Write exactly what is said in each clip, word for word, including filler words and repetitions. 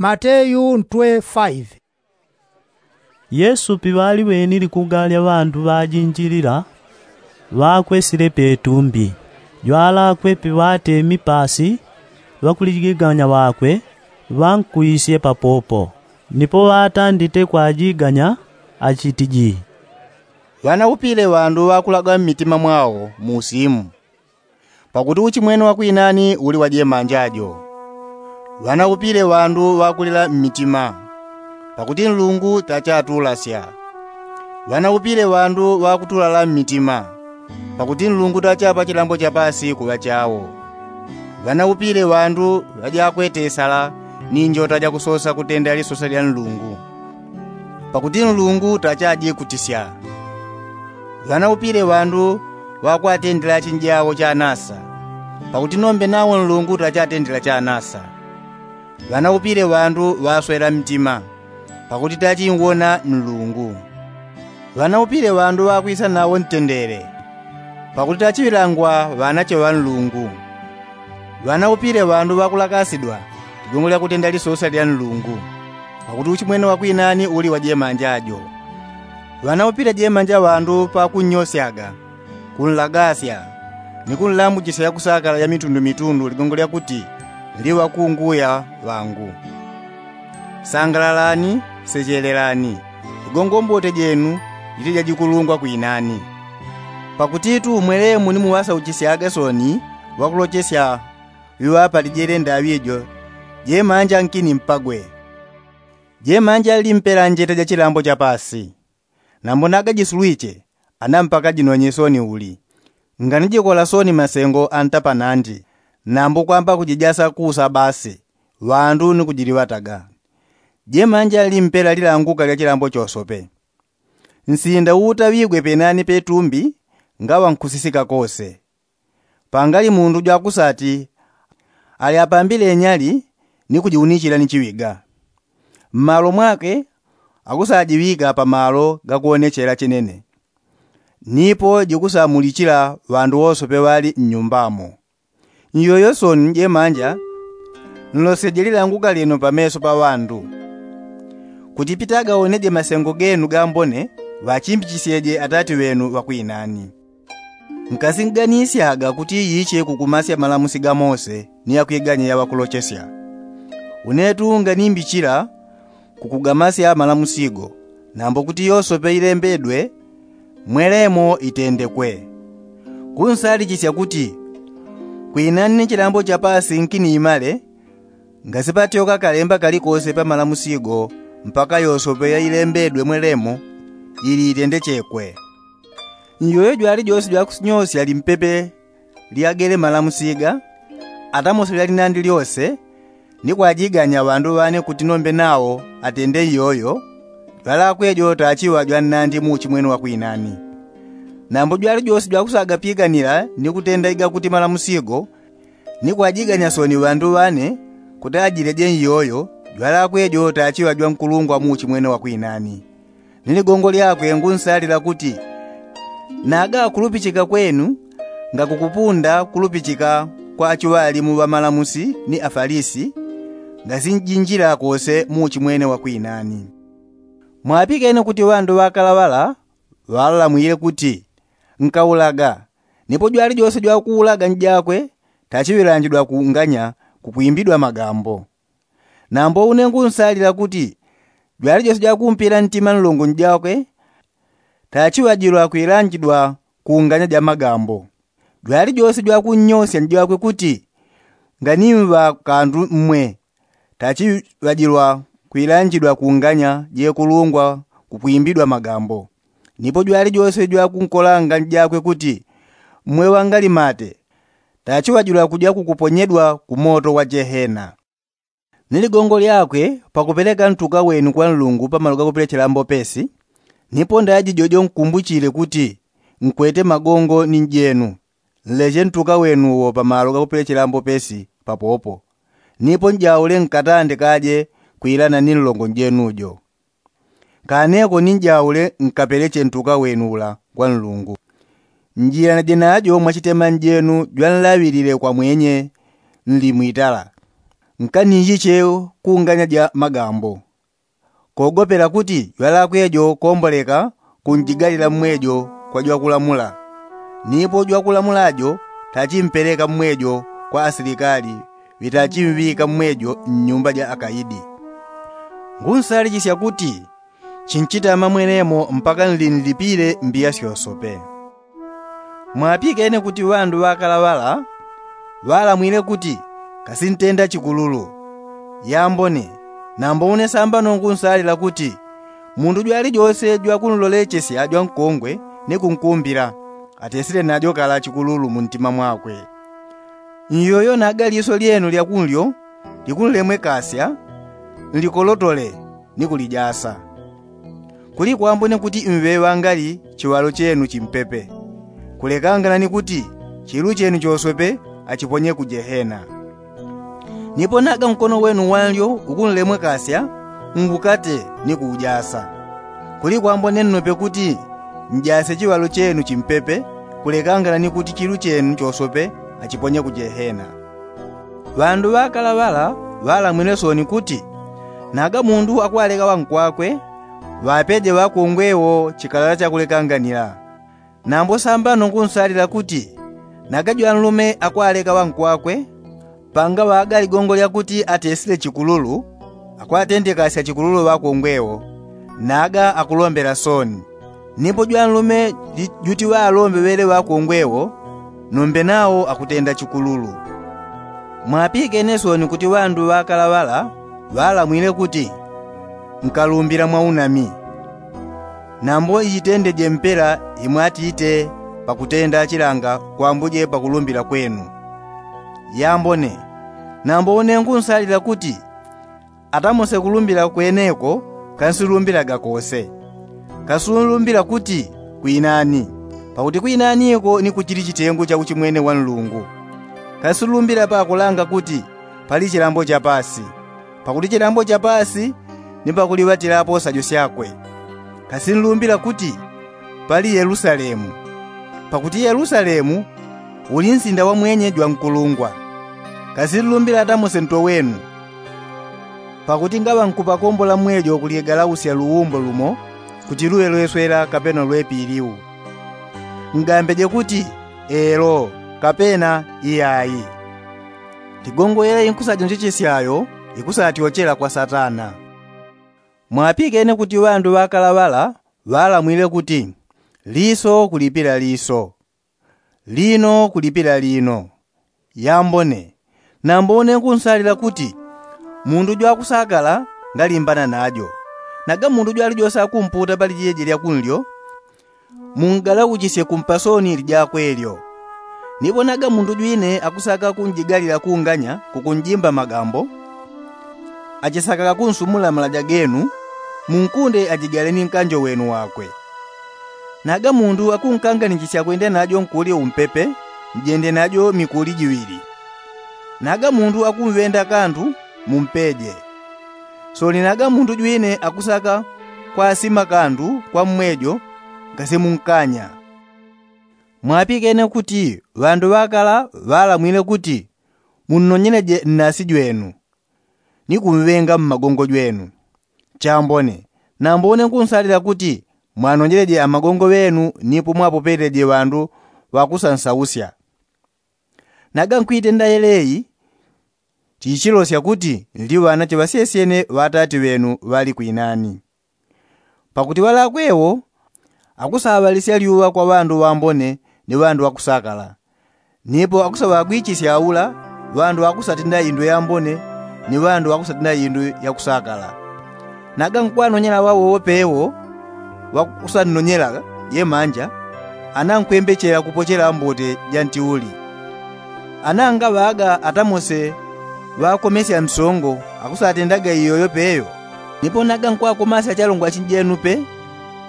Mateyu ntwe faive. Yesu piŵaliŵeni likuga lya ŵandu ŵajinjilila, ŵakwesile petumbi. Jwalakwe piŵatemi pasi, ŵakulijiganya ŵakwe ŵankuisye papopo. Nipo ŵatandite kwajiganya, achitiji, ŵanaupile ŵandu ŵakulaga mmitima mwao muusimu. Pakuti uchimwene wa kwinani uli wa jemanja jo. Ŵanaupile ŵandu ŵakulila mmitima, pakuti nlungu tachatulasya. Ŵanaupile ŵandu ŵakutulala mmitima, pakuti nlungu tachapa chilambo cha pasi kuŵa chao. Ŵanaupile ŵandu ŵajakwetesala ni njota jakusosa kutenda lisosa lya nlungu, pakuti nlungu tachajikutisya. Ŵanaupile ŵandu ŵakwatendela chinjao chanasa, pakuti nombe nawo nlungu tachatendela chanasa. Ŵanaupile ŵandu ŵaswela mtima, pakuti tachinwona nlungu. Ŵanaupile ŵandu ŵakwisa nawo ntendele, pakuti tachiŵilangwa ŵanache ŵa nlungu. Ŵanaupile ŵandu ŵakulakasidwa ligongo lya kutenda lisosa lya nlungu, pakuti uchimwene wa kwinani uli wa jemanja jo. Ŵanaupile jemanja ŵandu pakunnyosyaga, kunlagasya, ni kunlambuchisya yakusakala ya mitundu mitundu ligongo lya kuti nli ŵakunguya ŵangu. Sangalalani, sechelelani, ligongo mbote jenu jiti jajikulungwa kwinani. Pakutitu mwelemu ni muŵasauchisyaga soni ŵakulochesya ŵiŵapalije le ndaŵi jo, jemanja nkini mpagwe. Jemanja nli mpela njeta ja chilambo cha pasi. Nambo nagajisulwiche, ana mpaka jinonye soni uli. Nganijikola soni masengo anta panandi, nambo kwamba kujijasa kusa basi, ŵandu ni kujiliŵataga. Jemanja nli mpela lilanguka lya chilambo chosope. Nsinda uutaŵigwe penani petumbi ngaŵa nkusisika kose. Pangali mundu jwakusati ali apambile nyali ni kujiunichila ni chiŵiga. Mmalo mwakwe akusajiŵika pamalo gakuonechela chinene, nipo jikusamulichila ŵandu wosope ŵali nnyumbamo. Nyoyo soni jemanja nlosyeje lilanguka lyenu pameso pa ŵandu, kuti pitagaoneje masengo genu gambone ŵachimbichisyeje Atati ŵenu ŵa kwinani. Nkasinganisyaga kuti yiche kukumasya malamusi ga Mose ni ya kwiganya ya ŵakulochesya. Unetu nganimbichila kukugamasya malamusi go, nambo kuti yosope ilembedwe mwelemo itendekwe. Kunsalichisya kuti kwinani ni chilambo cha pasi nkini imale, ngasipatyoka kalemba kalikose pa malamusi go mpaka yosope yailembedwe mwelemo ili itendechekwe. Nyoyo jwalijose jwakunyosya limpepe lyagele malamusi ga, ata mose lyalinandi lyose, ni kwajiganya ŵandu ŵane kuti nombe nawo atende nyoyo, jwalakwe jo tachiŵa jwannandi mu uchimwene wa kwinani. Nambo jwalijose jwakusaga piganila ni kutenda igakuti malamusi go, ni kwajiganya soni ŵandu ŵane kuti ajileje nyoyo, jwalakwe jo tachiŵa jwankulungwa mu uchimwene wa kwinani. Ni ligongo lyakwe ngunsalila kuti, naga kulupichika kwenu ngakukupunda kulupichika kwa achiŵalimu ŵa malamusi ni Afalisi, ngasinjinjila kose mu uchimwene wa kwinani. Mwapikene kuti ŵandu ŵakalaŵala ŵalalamwile kuti, nkaulaga, nipo jwalijose jwakuulaga njakwe tachiŵilanjidwa kunganya kukwimbidwa magambo. Nambo une ngunsalila kuti jwalijose jwakumpila ntima nlongo njakwe tachiŵajilwa kwilanjidwa kunganya ja magambo. Jwalijose jwakunnyosya njakwe kuti, nganimŵa kandu mmwe, tachiŵajilwa kwilanjidwa kunganya jekulungwa kukwimbidwa magambo. Nipo jwalijose jwakunkolanga njakwe kuti, mmwe ŵangalimate, tachiŵajilwa kuja kukuponyedwa ku moto wa Jehena. Ni ligongo lyakwe pakupeleka ntuka wenu kwa Nlungu pamalo gakupelechelambo pesi, nipo ndaji jojo nkumbuchile kuti nkwete magongo ni njenu. Nleche ntuka wenu uwo pamalo gakupelechelambo pesi papopo, nipo njaule nkatande kaje kwilana ni nlongo njenu jo. Kaneko ni njaule nkapeleche ntuka wenu ula kwa Nlungu. Njilanaje najo mwachitema njenu jwanlaŵilile kwa mwenye nli mwitala. Nkanijiche kunganya ja magambo kogopela kuti jwalakwe jo komboleka kunjigalila mmwejo kwa jwakulamula. Nipo jwakulamula jo tachimpeleka mmwejo kwa asilikali ŵitachimŵika mmwejo mnyumba ja akaidi. Ngunsalichisya kuti chinchitama mwenemo mpaka nlinlipile mbiya syosope. Mwapikene kuti ŵandu ŵakala ŵala ŵalamwile kuti, kasintenda chikululu. Yambone. Nambo une sambano ngunsalila kuti mundu jwalijose jwakunlolechesya jwankongwe ni kunkumbila, atesile najo kala chikululu muntima mwakwe. Nyoyo naga liso lyenu lyakunlyo likunlemwekasya, nlikolotole ni kulijasa. Kulikwambone kuti mŵe ŵangali chiŵalo chenu chimpepe, kulekangana ni kuti chilu chenu choswepe achiponye ku jehena. Nipo naga nkono wenu wanlyo ukunlemwekasya, ngukate ni kuujasa. Kulikwambone nnope kuti njase chiŵalo chenu chimpepe, kulekangana ni kuti chilu chenu choswepe achiponye ku jehena. Ŵandu ŵakala ŵala ŵalamwile soni kuti, naga mundu akwaleka ŵankwakwe, ŵapeje ŵakongwe wo chikalala chakulekanganila. Nambo sambano ngunsalila kuti, naga jwanlume akwaleka ŵankwakwe, pangaŵaga ligongo lyakuti atesile chikululu, akwatendekasya chikululu ŵakongwe wo, naga akulombela soni. Nipo jwanlume juti ŵalombe ŵele ŵakongwe wo, nombe nawo akutenda chikululu. Mwapikene soni kuti ŵandu ŵakala ŵala ŵalamwile kuti, nkalumbila mwa unami. Nambo ichitendeje mpela imwatite pakutenda chilanga kwambuje pakulumbila kwenu. Yambone. Nambo une ngunsalila kuti atamose kulumbila kweneko, kansilumbilaga kose. Kasunlumbila kuti kwinani, pakuti kwinaniko ni kuchili chitengu cha uchimwene wa nlungu. Kansulumbila pakulanga kuti pali chilambo cha pasi, pakuti chilambo cha pasi ni pakuliŵatilapo sajo syakwe. Kasinlumbila kuti pali yelusalemu, pakuti yelusalemu uli nsinda wa mwenye jwankulungwa. Kasinlumbila atamose nto wenu, pakuti ngaŵa nkupakombola mwejo kulyegalausya luwumbo lumo kuti luŵe lweswela kapena lwepiliu. Ngambeje kuti elo, kapena iyai. Ligongo yela inkusajonjechesyayo ikusatyochela kwa satana. Mwapikene kuti ŵandu ŵakala ŵala ŵalamwile kuti, liso kulipila liso, lino kulipila lino. Yambone. Nambo une ngunsalila kuti mundu jwakusakala ngalimbana najo. Naga mundu jwalijosa kumputa pali jeje lyakunlyo, mungalauchisye kumpasoni lijakwe lyo. Nipo naga mundu jwine akusaka kunjigalila kunganya kukunjimba magambo, achisakaga kunsumula malaja genu, munkunde ajigale ni nkanjo wenu wakwe. Naga mundu akunkanganichisya kwenda najo nkuli umpepe, njende najo mikuli jiŵili. Naga mundu akumŵenda kandu, mumpeje. Soni naga mundu jwine akusaka kwasima kandu kwa mmwejo, ngasimunkanya. Mwapikene kuti ŵandu ŵakala ŵalamwile kuti, munnonyeleje nnasi jwenu ni kumŵenga mmagongo jwenu. Chambone. Nambo une ngunsalila kuti mwanonjeleje amagongo ŵenu nipo mwapopeleje ŵandu ŵakusansausya. Naga nkwitenda yeleyi, chichilosya kuti nli ŵanache ŵasyesyene ŵa atati ŵenu ŵali kwinani. Pakuti ŵalakwe wo akusaŵalisya lyuŵa kwa ŵandu ŵambone ni ŵandu ŵakusakala. Nipo akusaŵagwichisya aula ŵandu ŵakusatenda indu yambone ni ŵandu ŵakusatenda indu yakusakala. Naga nkwanonyela ŵawowo pewo ŵakusannonyela jemanja, ana nkwembechela kupochela mbote ja ntiuli. Ana ngaŵaga atamose ŵakomesya nsongo akusatendaga iyoyo peyo. Nipo naga nkwakomasya chalongwa chinjenu pe,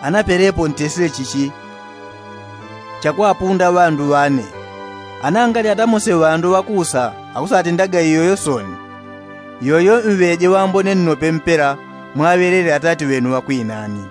ana pelepo ntesile chichi chakwapunda ŵandu ŵane. Ana ngali atamose ŵandu ŵakusa akusatendaga iyoyo soni, iyoyo mŵeje ŵambone nnope mpela mwaŵelele atati ŵenu ŵakwinani.